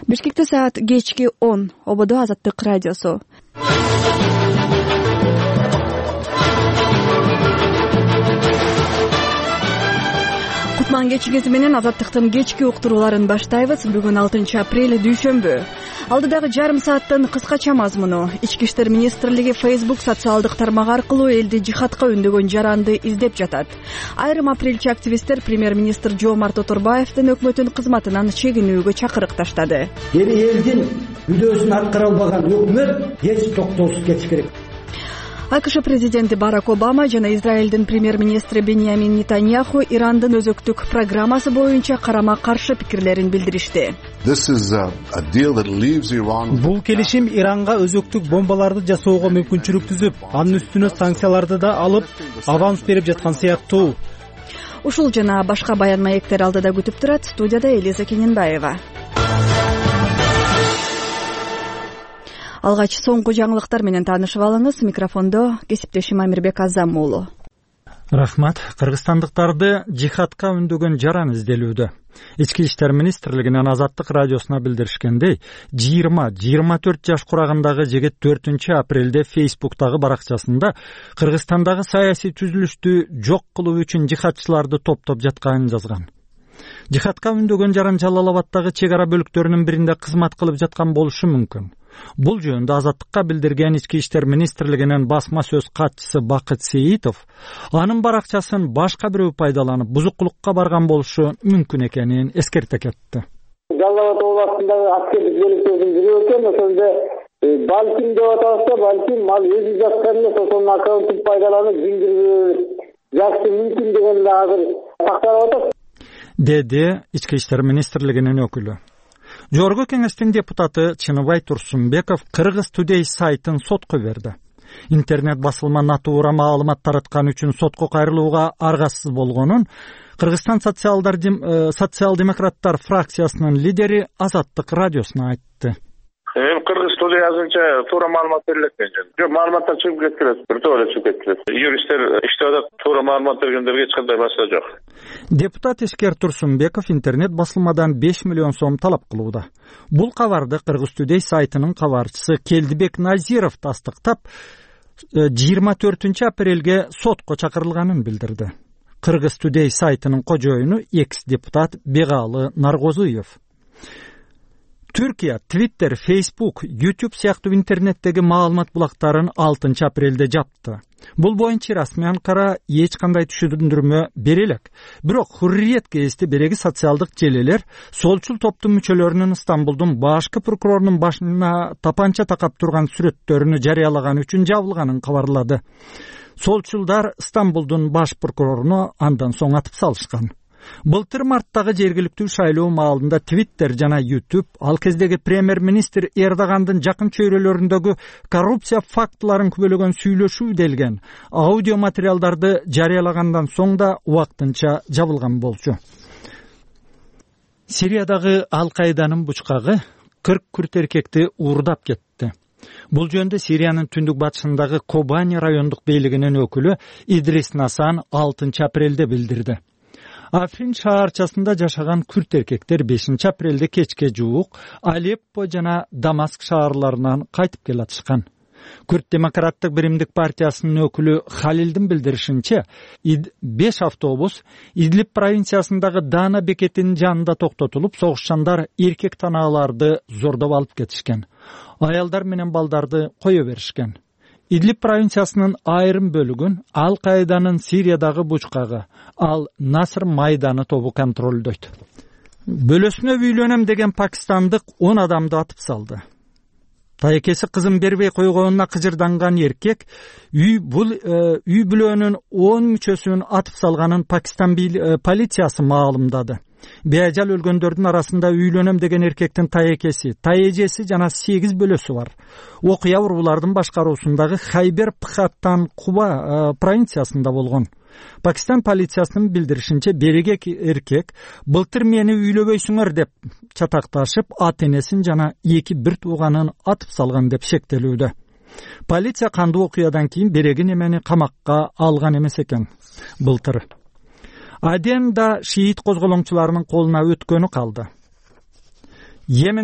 Бишкекте саат кечки 10. Ободо Азаттык радиосу. Кутман кечигиси менен Азаттыктын кечки уктурууларын баштайбыз. Бүгүн 6 апрель дүйшөмбү. Алдыдагы жарым сааттын кыскача мазмуну. Ички иштер министрлиги Facebook социалдык тармак аркылуу элди жихадка үндөгөн жаранды издеп жатат. Айрым апрелчи активисттер премьер-министр Жомарт Оторбаевдин өкмөтүн кызматынан чегинүүгө чакырык таштады. Элдин мүдөөсүн аткара албаган өкмөт эч токтоосуз кетиш керек. АКШ президенти Барак Обама жана Израилдин премьер-министри Беньямин Нетаньяху Ирандын өзөктүк программасы боюнча карама-каршы пикирлерин билдиришти. Бул келишим Иранга өзөктүк бомбаларды жасоого мүмкүнчүлүк түзүп, анын үстүнө санкцияларды да алып, аванс берип жаткан сыяктуу. Ушул жана башка баян маектер алдыда күтүп турат. Студияда Элиза Кененбаева. Алгач соңку жаңылыктар менен таанышып алыңыз. Микрофондо кесиптешим Амирбек Азам уулу. Рахмат. Кыргызстандыктарды жихадка үндөгөн жаран изделүүдө. Ички иштер министрлигинин Азаттык радиосуна билдиришкендей, 20-24 жаш курагындагы жигит 4 апрелде Facebook'тагы баракчасында Кыргызстандагы саясий түзүлүштү жок кылуу үчүн жихадчыларды топтоп жатканын жазган. Жихадка үндөгөн жаран Жалал Абадтагы чек ара бөлүктөрүнүн биринде кызмат кылып жаткан болушу мүмкүн. Бул жөнүндө Азаттыкка билдирген Ички иштер министрлигинин басма сөз катчысы Бакыт Сейитов анын баракчасын башка бирөө пайдаланып бузукулукка барган болушу мүмкүн экенин эскерте кетти. Жалал Абад областындагы аскердик бөлүктөрдүн бирөө экен, ошондо балким деп атабызда, балким ал өзү жаткан эмес, ошонун аккаунтун пайдаланып жакшы мүмкүн дегенде азыр такталып атат, деди Ички иштер министрлигинин өкүлү. Жогорку кеңештин депутаты Чыныбай Турсунбеков Кыргыз Today сайтын сотко берди. Интернет басылма натуура маалымат тараткан үчүн сотко кайрылууга аргасыз болгонун Кыргызстан социал-демократтар фракциясынын лидери Азаттык радиосуна айтты. Кыргыз Today азырынча туура маалымат берилет экен. Жок, маалыматтар чыгып кетти, биртөө эле чыгып кетти. Юристтер иштеп атат, туура маалымат бергендерге эч кандай маселе жок. Депутат Эшкер Турсунбеков интернет басылмадан 5 миллион сом талап кылууда. Бул кабарды Кыргыз Today сайтынын кабарчысы Келдибек Назиров тастыктап, 24 апрелге сотко чакырылганын билдирди. Кыргыз Today сайтынын кожоюну экс-депутат Бегалы Наргозуев. Түркия, Twitter, Facebook, YouTube сыяктуу интернеттеги маалымат булактарын 6 апрелде жапты. Бул боюнча расмий Анкара эч кандай түшүндүрмө бере элек. Бирок Хурриет гезити береги социалдык желелер солчул топтун мүчөлөрүнүн Стамбулдун башкы прокурорунун башына тапанча такап турган сүрөттөрүнү жарыялаган үчүн жабылганын кабарлады. Солчулдар Стамбулдун баш прокуроруну андан соң атып салышкан. Былтыр марттагы жергиликтүү шайлоо маалында Twitter жана YouTube ал кездеги премьер-министр Эрдогандын жакын чөйрөлөрүндөгү коррупция фактыларын күбөлөгөн сүйлөшүү делген аудио материалдарды жарыялагандан соң да убактынча жабылган болчу. Сириядагы Ал-Каиданын бучкагы 40 күрт эркекти уурдап кетти. Бул жөнүндө Сириянын түндүк батышындагы Кобани райондук бийлигинин өкүлү Идрис Насан 6 апрелде билдирди. Африн шаарчасында жашаган күрт эркектер 5 апрелде кечке жуук Алеппо жана Дамаск шаарларынан кайтып келатышкан. Күрт демократтык биримдик партиясынын өкүлү Халилдин билдиришинче, 5 автобус Идлиб провинциясындагы Дана бекетинин жанында токтотулуп, согушчандар эркек танааларды зордоп алып кетишкен. Аялдар менен балдарды кое беришкен. Идлиб провинциясынын айрым бөлүгүн Ал-Каиданын Сириядагы бучкагы, ал Наср майданы тобу контролдойт. Бөлөсүнө үйлөнөм деген пакистандык 10 адамды атып салды. Тайекеси кызын бербей койгонуна кыжырданган эркек үй бүлөнүн 10 мүчөсүн атып салганын Пакистан полициясы маалымдады. Беажал өлгөндөрдүн арасында үйлөнөм деген эркектин тайекеси, тайэжеси жана 8 бөлөсү бар. Окуя урбулардын башкаруусундагы Хайбер Пхаттан Куба провинциясында болгон. Пакистан полициясынын билдиришинче, берек эркек былтыр мени үйлөбөйсүңөр деп чатакташып, ата-энесин жана 2 бир тууганын атып салган деп шектелүүдө. Полиция кандуу окуядан кийин берегин эмени камакка алган эмес экен былтыр. Аден да шиит козголоңчуларынын колуна өткөнү калды. Йеменде